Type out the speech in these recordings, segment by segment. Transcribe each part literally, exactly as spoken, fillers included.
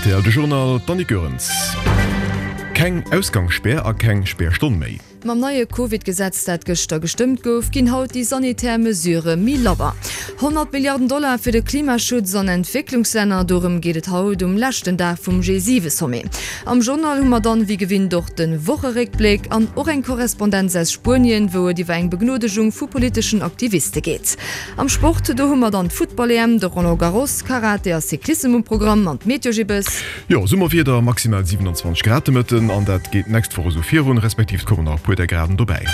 Rtl, De Journal, d'Annick Goerens. Keng Ausgangsspär a keng Spärstonn méi. Mam neie Covid-Gesetz, dat gëschter gestëmmt gouf, ginn haut déi sanitär Mesurë méi labber. Honnert Milliarden Dollar fir de Klimaschutz an Entwécklungslänner, dorëm geet et haut um leschten Dag vum G siwe Sommet. Am Journal hu mer dann wéi gewinnt och de Wocheréckbléck an och eng Korrespondenz aus Spuenien, wou et iwwer eng Begnodegung vu politeschen Aktiviste geet. Am Sport, do hu mer dann d'Futtball-E M, de Roland Garros, Karate a Cyclissem um Programm an d'Meteo Gibbes. Jo, Summerwieder, maximal siewenundzwanzeg Grad de Mëtten an dat geet d'nächst Woch esou virun, respektiv et kommen nach e puer där Graden dobäi.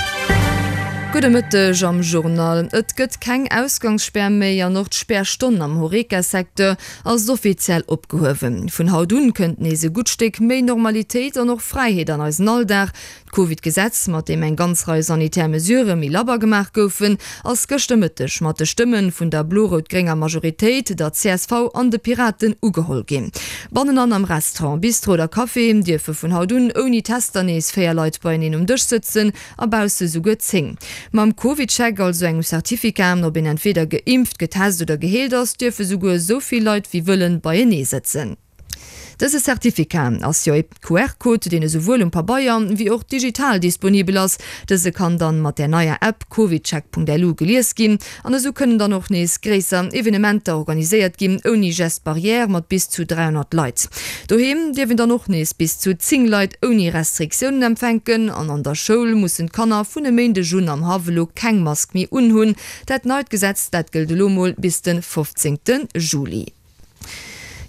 Gudde Mëtteg am Journal. Et gëtt keng Ausgangsspär méi an och d'Spärstonn am Horeca-Secteur ass offiziell opgehuewen. Vun haut un kënnt nees e gutt Stéck méi Normalitéit an och Fräiheet an eisen Alldag. D'Covid-Gesetz, mat deem eng ganz Rei sanitär Mesurë méi labber gemaach goufen, ass gëschter Mëtteg mat de Stëmme vun der blo-rout-grénger Majoritéit, der csv an de Piraten ugeholl ginn. Bannenan am Restaurant, Bistro oder Café dierfe vun haut un ouni Tester nees véier Leit beieneen um Dësch sëtzen a bausse souguer zéng. Mam CovidCheck, also engem Certificat, ob een entweeder geimpft, getest oder geheelt ass, dierfe souguer esou vill Leit wéi wëllen beienee sëtzen. Dëse Certificat ass jo e Q R-Code, deen esouwuel um Pabeier wéi och digital disponibel ass. Dëse kann dann mat där neier App covidcheck Punkt L U gelies ginn an esou kënnen dann och nees gréisser Evenementer organiséiert ginn, ouni Geste barrière mat bis zu dräihonnert Leit. Doheem dierf een dann och nees bis zu zéng Leit ouni Restriktiounen empfänken an an der Schoul mussen d'Kanner vun e Méindeg un am Haff elo keng Mask méi unhunn. Dat neit Gesetz, dat gëllt elo mol bis de fofzéngte Juli.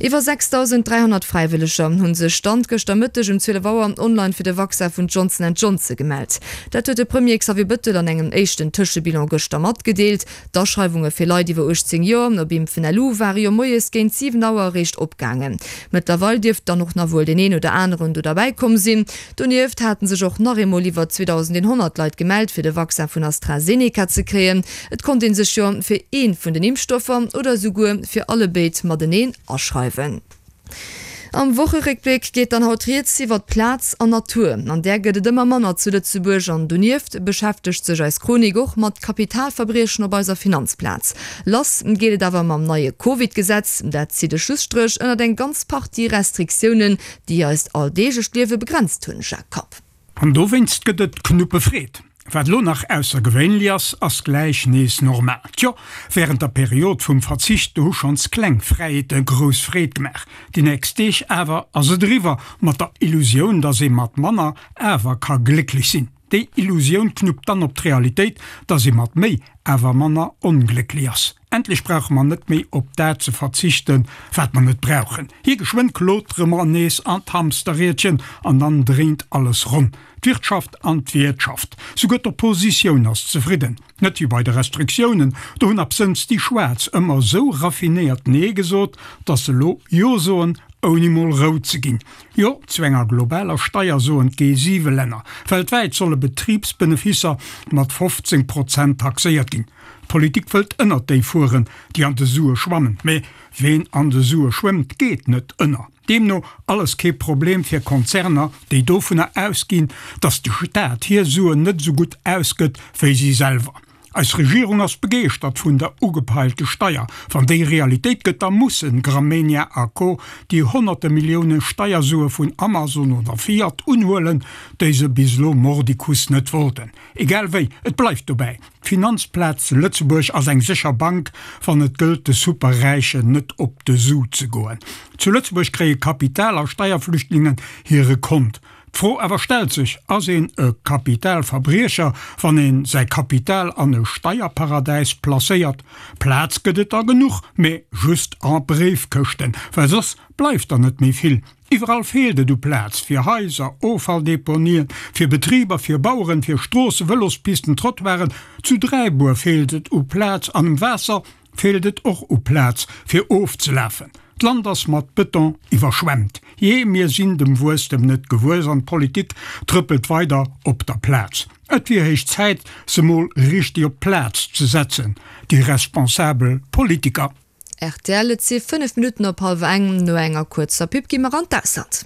Iwwer sechsdausend dräihonnert Fräiwëlleger hu sech Stand gëschter Mëtteg um zwielef Auer online fir de Vaccin vun Johnson and Johnson gemellt. Dat huet de Premier Xavier Bëttel an engem éischten Tëschebilan gëschter matgedeelt. D'Aschreiwunge fir Leit iwwer uechtzéng Joer op Impfen Punkt L U ware jo moies géint siwen Auer eréischt opgaangen. Mëttlerweil dierft dann och nach wuel deen een oder aneren do derbäi komm sinn. Donieft hate sech och nach eemol iwwer zweedausendeenhonnert Leit gemellt fir de Vaccin vun AstraZeneca ze kréien. Et konnt ee sech jo fir ee vun den Impfstoffer oder esouguer fir allebéid mateneen aschreiwen. Am Wocheréckbléck geet dann haut rieds iwwert Plaz an Natur. An där gëtt et ëmmer manner zu Lëtzebuerg an donieft beschäftegt sech eis Chronik och mat Kapitalverbriechen op eiser Finanzplaz. Lass geet et awer mam neie Covid-Gesetz. Dat zitt e Schlusstréch ënnert eng ganz Partie Restriktiounen, déi eist alldeeglecht Liewe begrenzt hunn. Jacques Kapp. An dowéinst gëtt et Knuppefreed. Wat elo nach aussergewéinlech ass, ass gläich nees normal. Tjo, wärend der Period vum Verzicht, do hu schonns kleng Fräiheete grouss Freed gemaach. Déi nächst Deeg awer ass et eriwwer mat der Illusioun, dass ee mat manner awer ka glécklech sinn. Déi Illusioun knuppt dann op d'Realitéit, dass ee mat méi awer manner onglécklech ass. Endlech brauche mer net méi op dat ze verzichten, wat mer net brauchen. Hie geschwënn klotere mer nees an d'Hamsterriedchen an dann dréint alles ronn. D'Wirtschaft an d'Wiertschaft. Souguer d'Oppositioun ass zefridden. Net wéi bei de Restriktiounen, do hunn absënns déi Schwaarz ëmmer esou raffinéiert Nee gesot, dass se elo Jo soen, ouni mol rout ze ginn. Jo zu enger globaler Steier soen d'G siwe Länner. Weltwäit solle Betribsbenefisser mat fofzéng Prozent taxéiert ginn. D'Politik wëllt ënnert déi fueren, déi an de Sue schwammen. Mee ween an de Sue schwëmmt, geet net ënner. Deemno alles kee Problem fir Konzerner, déi dovunner ausginn, datt de Staat hir Suen net esou gutt ausgëtt wéi si selwer. Eis Regierung ass begeeschtert vun der ugepeilte Steier. Wann déi Realitéit gëtt, da mussen Gramegna a Co. Déi honnerte Millioune Steiersue vun Amazon oder Fiat unhuelen, déi se bis elo mordicus net wollten. Egal wéi, et bleift dobäi, D'Finanzplaz Lëtzebuerg ass eng sécher Bank, wann et gëllt de Superräichen net op de Su ze goen. Zu Lëtzebuerg kréie Kapital a Steierflüchtlingen hire Kont. D'Fro awer stellt sech, Ass een e Kapitalverbriecher, wann een säi Kapital an e Steierparadäis placéiert? Plaz gëtt et der genuch, mee just a Bréifkëschten, well soss bleift der net méi vill. Iwwerall feelt et u Plaz, fir Haiser, Offalldeponien, fir Betriber, fir Baueren, fir Stroossen, Vëlospisten, Trottoiren. Zu Dräibuer feelt et u Plaz an um Waasser feelt et och u Plaz, fir ofzelafen. D'Land ass mat Bëton iwwerschwemmt. Jee, mir sinn dem Wuesstem net gewuess an d'Politik trëppelt weider op der Plaz. Et wier héich Zäit, se mol richteg op d'Plaz ze setzen, déi responsabel Politiker. Rtl, Et si fënnef Minutten op hallwer eng. No enger kuerzer Pub gi mer an d'Ausland.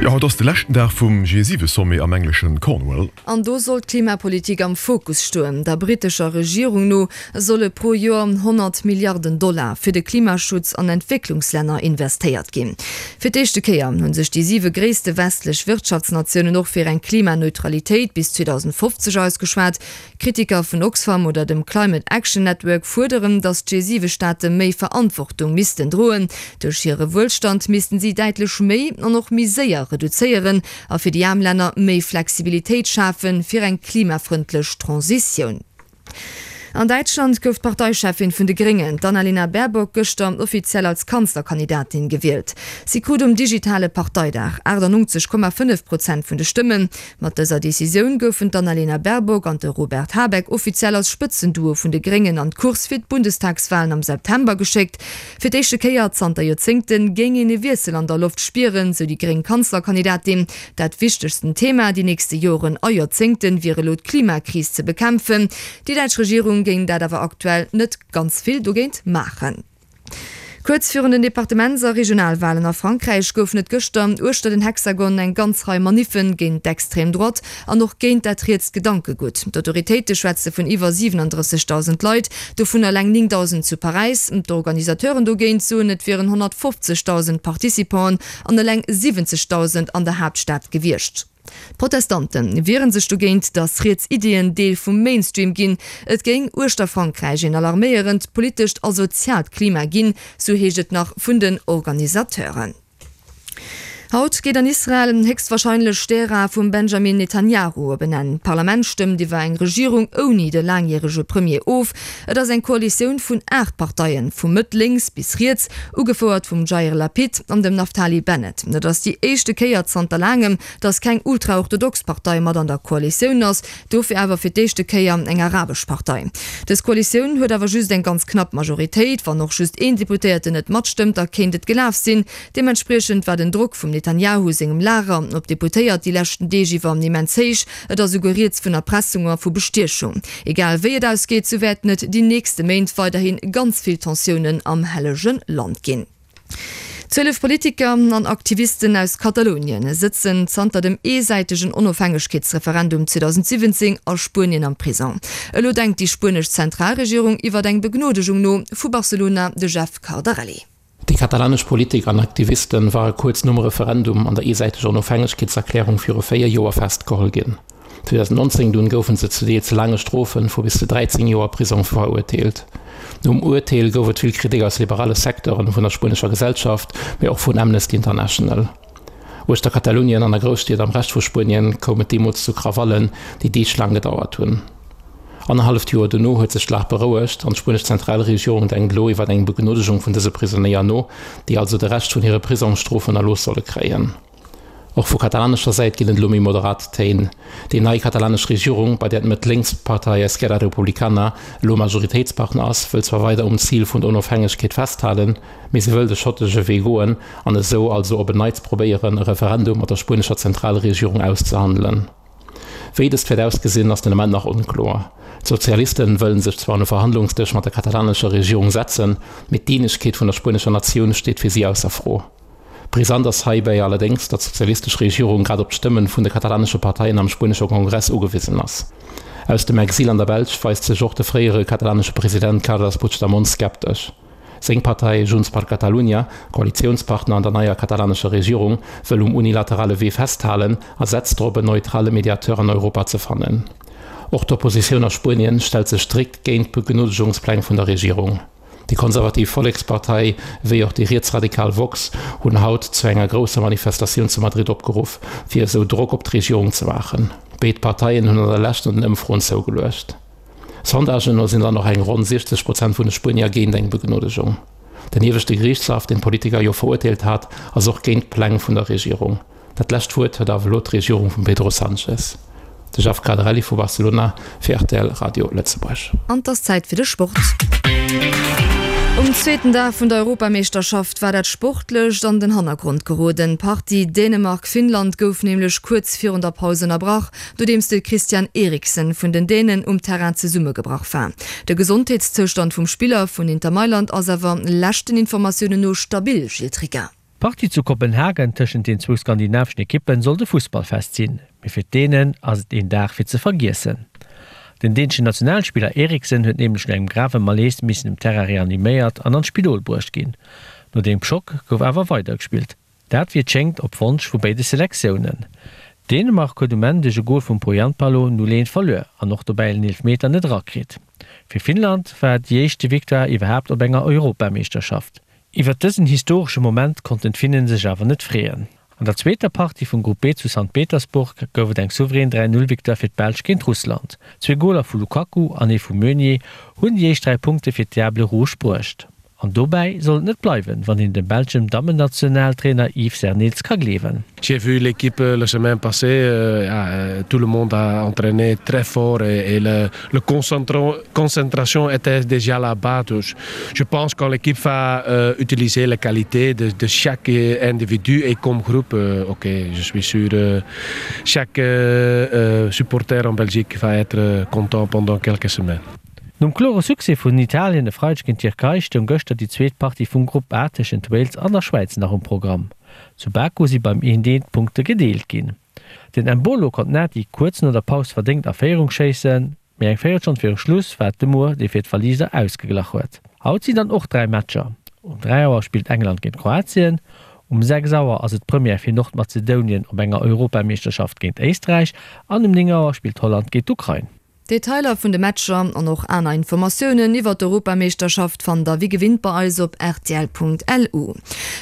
Jo, haut ass de leschten Dag vum G siwe Sommet am engleschen Cornwall. An do soll d'Klimapolitik am Fokus stoen. Der brittescher Regierung no solle pro Joer honnert Milliarden Dollar fir de Klimaschutz an Entwécklungslänner investéiert ginn. Fir d'éischte Kéier hu sech déi siwe gréisste westlech Wirtschaftsnatiounen och fir eng Klimaneutralitéit bis zweedausendfofzeg ausgeschwat. Kritiker vun Oxfam oder dem Climate Action Network fuerderen, datt d'G siwe Staate méi Verantwortung missten droen. Duerch hire Wuelstand missten si däitlech méi an och méi séier reduzéieren a fir déi aarm Länner méi Flexibilitéit schafe fir eng klimafrëndlech Transitioun. An Däitschland gouf d'Parteicheffin vun de Gréngen, d'Annalena Baerbock, gëschter offiziell als Kanzlerkandidatin gewielt. Si krut um digitale Parteidag aachtannonzeg Komma fënnef Prozent vun de Stëmmen. Mat dëser Decisioun goufen d'Annalena Baerbock an de Robert Habeck offiziell als Spëtzenduo vun de Gréngen an d'Course fir d'Bundestagswalen am September geschéckt. Fir d'éischte Kéier zanter Joerzéngte géing een e Wiessel an der Loft spieren, sou déi gréng Kanzlerkandidatin. Dat wichtegsten Thema déi nächste Joren a Joerzéngte wier elo d'Klimakris ze bekämpfen. Déi däitsch Regierung géing dat awer aktuell net ganz vill dogéint maachen. Kuerz virun den Departements a Regionalwalen a Frankräich goufen et gëschter uechter den Hexagon eng ganz Rei Maniffe géint d'extrême Droite an och géint dat rietst Gedankegutt. D'Autoritéite schwätze vun iwwer siwenandrëssegdausend Leit, dovun eleng néngdausend zu Paräis. D'Organisateuren dogéint soen, et wieren honnertfofzegdausend Participanten an eleng siwwenzegdausend an der Haaptstad gewiescht. D'Protestante wiere sech dogéint, datt riets Iddien Deel vum Mainstream ginn. Et géing uechter Frankräich een alarméierend politescht a soziaalt Klima ginn, sou heescht et nach vun den Organisateuren. Haut geet an Israel héchstwarscheinlech d'Ära vum Benjamin Netanjahu op en Enn. D'Parlament stëmmt iwwer eng Regierung ouni de laangjärege Premier of. Et ass eng Koalitioun vun aacht Parteien, vu Mëtt-lénks bis riets, ugefouert vum Jair Lapid an dem Naftali Bennett. Et ass déi éischte Kéier zanter laangem, datt keng ultraorthodox Partei mat an der Koalitioun ass, dofir awer fir d'éischte Kéier eng arabesch Partei. Dës Koalitioun huet awer just eng ganz knapp Majoritéit, wann och just een Deputéierten net matstëmmt, da kéint et gelaf sinn. Deementspriechend war den Drock vum Netanjahu sengem Lager op d'Deputéiert déi leschten Deeg iwwer immens héich. Et ass esouguer rieds vun Erpressung a vu Bestiechung. Egal wéi et ausgeet, sou wäerten et déi nächste Méint weiderhi ganz vill Tensiounen am Hellege Land ginn. Zwielef Politiker an Aktivisten aus Katalounien sëtzen zanter dem eesäitegen Onofhängegkeetsreferendum zweedausendsiwwenzéng a Spuenien am Prisong. Elo denkt déi spuenesch Zentralregierung iwwer eng Begnodegung no. Vu Barcelona de Jeff Cardarelli. Déi katalanesch Politiker an Aktivisten ware kuerz nom Referendum an der eesäiteger Onofhängegkeetserklärung viru véier Joer festgeholl ginn. zweedausendnonzéng dunn goufe se zu deels laange Strofe vu bis zu dräizéng Joer Prisong verurteelt. Nom Urteel gouf et vill Kritik aus liberale Secteuren vun der spuenescher Gesellschaft, mee och vun Amnesty International. Uechter Katalounien an a Grousstied am Rescht vu Spuenien koum et deemools zu Krawallen, déi Deeg laang gedauert hunn. Annerhalleft Joer dono huet sech d'Lag berouegt an d'spuenesch Zentralregierung denkt elo iwwer eng Begnodegung vun dëse Prisonéier no, déi also de Rescht vun hire Prisongsstrofen erlooss solle kréien. Och vu katalanescher Säit ginn et elo méi moderat Téin. Déi nei katalanesch Regierung, bei där d'Mëtt-Lénks-Partei Esquerra Republicana elo Majoritéitspartner ass, wëll zwar weider um Zil vun der Onofhängegkeet festhalen, mee se wëll de schottesche Wee goen an esou also op en Neits probéieren, e Referendum mat der spuenescher Zentralregierung auszehandelen. Wéi dëst wäert ausgesinn, ass den Ament nach onkloer. D'Sozialisten wëllen sech zwar un e Verhandlungsdësch mat der katalanescher Regierung setzen, mee d'Eenegkeet vun der spuenescher Natioun steet fir si ausser Fro. Brisant ass heibäi allerdéngs, datt d'sozialistesch Regierung grad op d'Stëmmen vun de katalanesche Parteien am spuenesche Kongress ugewisen ass. Aus dem Exil an der Belsch weist sech och de fréiere katalanesche President Carles Puigdemont skeptesch. Seng Partei Junts per Catalunya, Koalitiounspartner an der neier katalanescher Regierung, wëll um unilaterale Wee festhalen a setzt drop en neutrale Mediateur an Europa ze fannen. Och d'Oppositioun a Spuenien stellt sech strikt géint d'Begnodegungspläng vun der Regierung. Déi konservativ Vollekspartei wéi och déi rietsradikal Vox hunn haut zu enger grousser Manifestatioun zu Madrid opgeruff, fir esou Drock op d'Regierung ze maachen. Béid Parteien hunn an der Lescht an den Ëmfroen zougeluecht. Sondagen no sinn dann och eng ronn siechzeg Prozent vun de Spuenier géint eng Begnodegung. Den ieweschte Geriichtshaff, deen d'Politiker jo verurteelt hat, ass och géint d'Pläng vun der Regierung. Dat lescht Wuert huet awer elo d'Regierung vum Pedro Sanchez. De Jeff Cardarelli vu Barcelona fir rtl Radio Lëtzebuerg. An 't ass Zäit fir de Sport. Um zweeten Dag vun der Europameeschterschaft war dat Sportlecht an den Hannergrond geroden. D'Partie Dänemark-Finnland gouf nämlech kuerz virun der Paus ënnerbrach, nodeems de Christian Eriksen vun den Dänen um Terrain zesummegebrach war. De Gesondheetszoustand vum Spiller vun Inter Mailand ass awer leschten Informatiounen no stabil, Gilles Tricca. D'Partie zu Kopenhagen tëschent den zwou skandinaveschen Ekippen sollt e Fussballfest sinn, mee fir d'Dänen ass et een Dag fir ze vergiessen. Den däneschen Nationalspiller Eriksen huet nämlech no engem grave Malaise missen um Terrain reaniméiert an an d'Spidol bruecht ginn. No deem Schock gouf awer weidergespillt, dat wéi et schéngt op Wonsch vu béide Selektiounen. Dänemark huet um Enn duerch e Gol vum Pohjanpalo null eent verluer an och dobäi en Eelefmeter net erakritt. Fir Finnland war et déi éischte Victoire iwwerhaapt op enger Europameeschterschaft. Iwwert dësen historesche Moment konnten d'Finnen sech awer net freeën. An der zweeter Partie vum Grupp B zu Sankt Petersburg gouf et eng souverän dräi Null Victoire fir d'Belsch géint Russland. Zwee Goler vu Lukaku an ee vum Meunier hunn déi éischt dräi Punkte fir d'Diables Rouges bruecht. An dobäi soll et net bleiwen, wann een dem belschen Dammennationaltrainer Yves Serneels ka gleewen. J'ai vu l'équipe la semaine passée, ja, tout le monde a entraîné très fort et, et le, le concentration était déjà là-bas. Je pense quand l'équipe va euh, utiliser la qualité de, de chaque individu et comme groupe, euh, ok, je suis sûr euh, chaque euh, euh, supporter en Belgique va être content pendant quelques semaines. Nom klore Succès vun Italien e Freideg géint d'Tierkei stoung gëschter déi zweet Partie vum Grupp A tëschent Wales an der Schwäiz nach um Programm. Zu Baku si beim eent eent d'Punkte gedeelt ginn. Den Embolo konnt Nati kuerz no der Paus verdéngt a Féierung schéissen, mee eng Véierelstonn viru Schluss war et de Moore, dee fir d'Waliser ausgeglach huet. Haut sinn dann och dräi Matcher. Um dräi Auer spillt England géint Kroatien, um sechs Auer ass et d'Première fir Nordmazedonien op enger Europameeschterschaft géint Éisträich an um néng Auer spillt Holland géint d'Ukrain. Detailer vun de Matcher an och aner Informatiounen iwwer d'Europameeschterschaft fannt der wéi gewinnt bei eis op rtl.lu.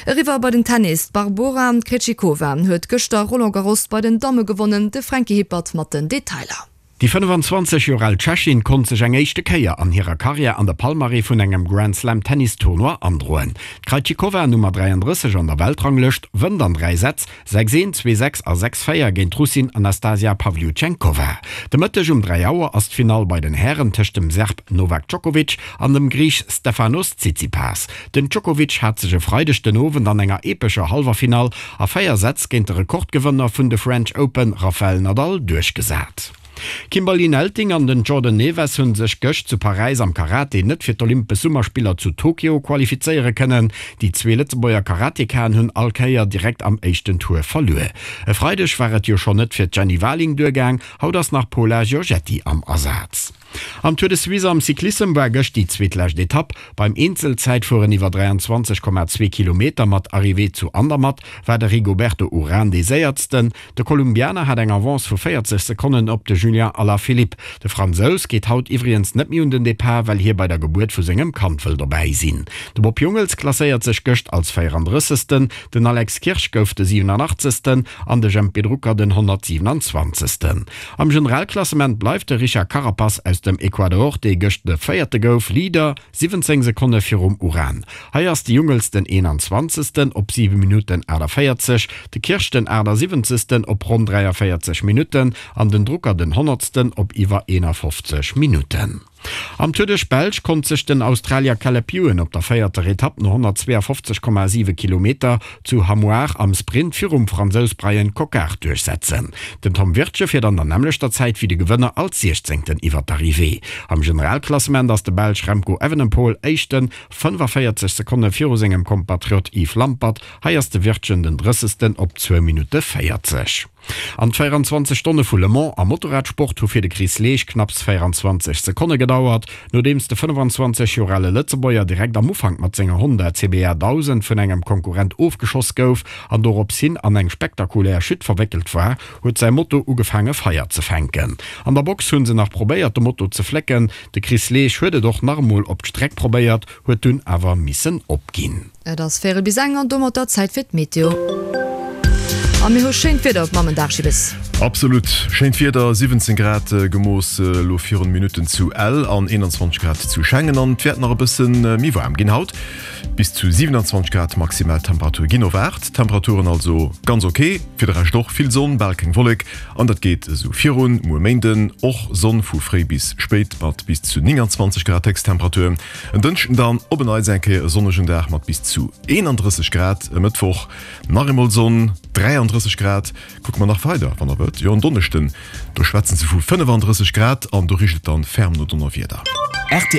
Eriwwer bei den Tennis, D'Barbora Krejcikova huet gëschter Roland Garros bei den Damme gewonnen, de Franky Hippert mat den Detailer. Déi fënnefenzwanzeg Joer al Tschechin konnt sech eng éischte Kéier an hirer Karriär an de Palmarès vun engem Grand-Slam-Tennis-Tournoi androen. D'Krejcikova, Nummer dräiandrësseg an der Weltranglëscht, wënnt an dräi Sätz, sechs een, zwee sechs a sechs véier géint d'Russin Anastasia Pavlyuchenkova. De Mëtteg um dräi Auer ass d'Finall bei den Hären tëscht dem Serb Novak Djokovic an dem Griich Stefanos Tsitsipas. Den Djokovic hat sech e Freideg den Owend an enger epescher Hallwerfinall a véier Sätz géint de Rekordgewënner vun de French Open Rafael Nadal duerchgesat. D'Kimberly Nelting an den Jordan Neves hu sech gëscht zu Paräis am Karate net fir d'Olympesch Summerspiller zu Tokio qualifizéiere kënnen. Déi zwee Lëtzebuerger Karatekaen hunn all Kéier direkt am éischten Tour verluer. E Freideg war et jo schonn net fir d'Jenny Warling duergaang, haut ass nach d'Paula Giorgetti am Asaz. Am Tour de Suisse am Cyclissem war gëscht déi zweetlescht Etapp. Beim Eenzelzäitfueren iwwer dräianzwanzeg Komma zwee Kilometer mat Arrivée zu Andermatt war de Rigoberto Urán dee Séiertsten. De Kolumbianer hat eng Avance vu véierzeg Sekonnen op de Julian Alaphilippe. De Fransous geet haut iwwregens net méi un den Depart, well hie bei der Gebuert vu sengem Kand wëll dobäi sinn. De Bob Jungels klasséiert sech gëscht als véierandrëssegsten, den Alex Kirsch gouf de siwenanachtzegsten an de Jempy Drucker den honnertsiwenanzwanzegsten. Am Generalklassement bleift de Richard Carapaz aus dem Ecuador, dee gëscht de Véierte gouf, Leader, siwwenzéng Sekonne virum Uran. Hei ass de Jungels den eenanzwanzegsten op siwe Minutten aachtavéierzeg, de Kirsch den aachtasiwwenzegsten op ronn dräiavéierzeg Minutten an den Drucker den honnertsten op iwwer eenafofzeg Minutten. Am Tour duerch d'Belsch konnt sech den Australier Caleb Ewan op der véierter Etapp no honnertzweeafofzeg Komma siwe Kilometer zu Hamoir am Sprint virum Fransous Bryan Coquard duerchsetzen. Den Tom Wirtgen fiert an der nämmlechter Zäit wéi de Gewënner als Siechzéngten iwwer d'Arrivée. Am Generalklassement ass de Belsch Remco Evenepoel Éischten, fënnefaféierzeg Sekonne viru sengem Kompatriot Yves Lampaert. Hei ass de Wirtgen den Drëssegsten op zwou Minutte véierzeg. An d'véieranzwanzeg Stonne vu Le Mans am Motorradsport hu fir de Chris Leesch knapps véieranzwanzeg Sekonne gedauert. Nodeems de fënnefanzwanzeg Joer ale Lëtzebuerger direkt am Ufank mat senger Honda C B R dausend vun engem Konkurrent ofgeschoss gouf an dorops hin an eng spektakulär Chute verwéckelt war, huet säi Moto ugefaange Feier ze fänken. An der Box hu se nach probéiert de Moto ze flécken. De Chris Leesch huet et och nach emol op d'Streck probéiert, huet dunn awer missen opginn. Et ass véierel bis eng an domatter Zäit fir d'Meteo. A mir hu schéint Wieder op Mammendag, Gilles. Absolut schéint Wieder, siwwenzéng Grad gemooss elo virun Minutten zu Ell an eenanzwanzeg Grad zu Schengen an et wäert nach e bësse méi waarm ginn haut. Bis zu siwenanzwanzeg Grad Maximaltemperatur ginn erwaart. Temperaturen also ganz ok, fir de Rescht och vill Sonn, bal keng Wollek an dat geet esou virun. Muer Méinden och Sonn vu fréi bis spéit mat bis zu nénganzwanzeg Grad Héchsttemperatur. En Dënschden dann op en Neits eng Kéier e sonnegen Dag mat bis zu eenandrësseg Grad. E Mëttwoch nach eemol Sonn, dräiandrësseg Grad. Kucke mer nach weider, wann der wëllt. Jo, en Donneschden, do schwätzen se vu fënnefandrësseg Grad an do richt et dann ferm no Donnerwieder. Rtl.